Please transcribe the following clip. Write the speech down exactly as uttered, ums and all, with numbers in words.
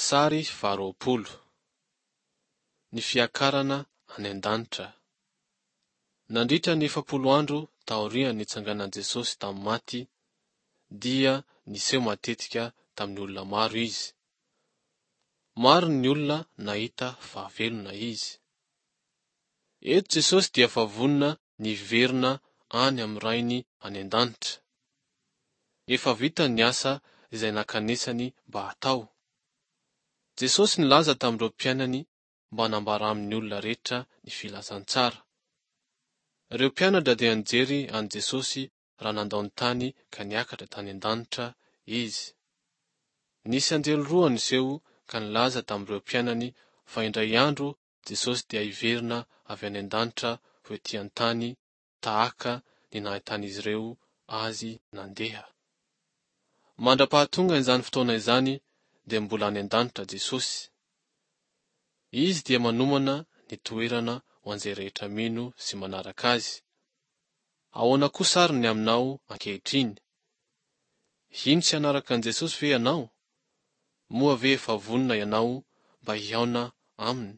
Sary faharoapolo. Ny fiakarana any an-danitra. Nandritra ny efapolo andro taorian'ny nitsanganan'i Jesosy tamin'ny maty, dia niseho matetika tamin'ny olona maro izy. Maro ny olona nahita fa velona izy. Eto Jesosy dia efa vonona ny hiverina any amin'ny Rainy any an-danitra. Efa vita ny asa izay nankanesany mba hatao. Jesosy nilaza tamin'ireo mpianany mba hanambara amin'ny olona rehetra ny filazantsara. Ireo mpianatra dia nijery an'i Jesosy raha nandao ny tany ka niakatra tany an-danitra izy. Nisy anjely roa niseho ka nilaza tamin'ireo mpianany fa indray andro Jesosy dia hiverina avy any an-danitra ho ety an-tany tahaka ny nahitan'izy ireo azy nandeha. Mandra-pahatonga izany fotoana izany dia mbola any an-danitra Jesosy. Izy dia manomana ny toerana ho an'izay rehetra mino sy manaraka azy. Ahoana kosa ary ny aminao ankehitriny? Hino sy hanaraka an'i Jesosy ve ianao? Moa ve efa vonona ianao mba hihaona aminy?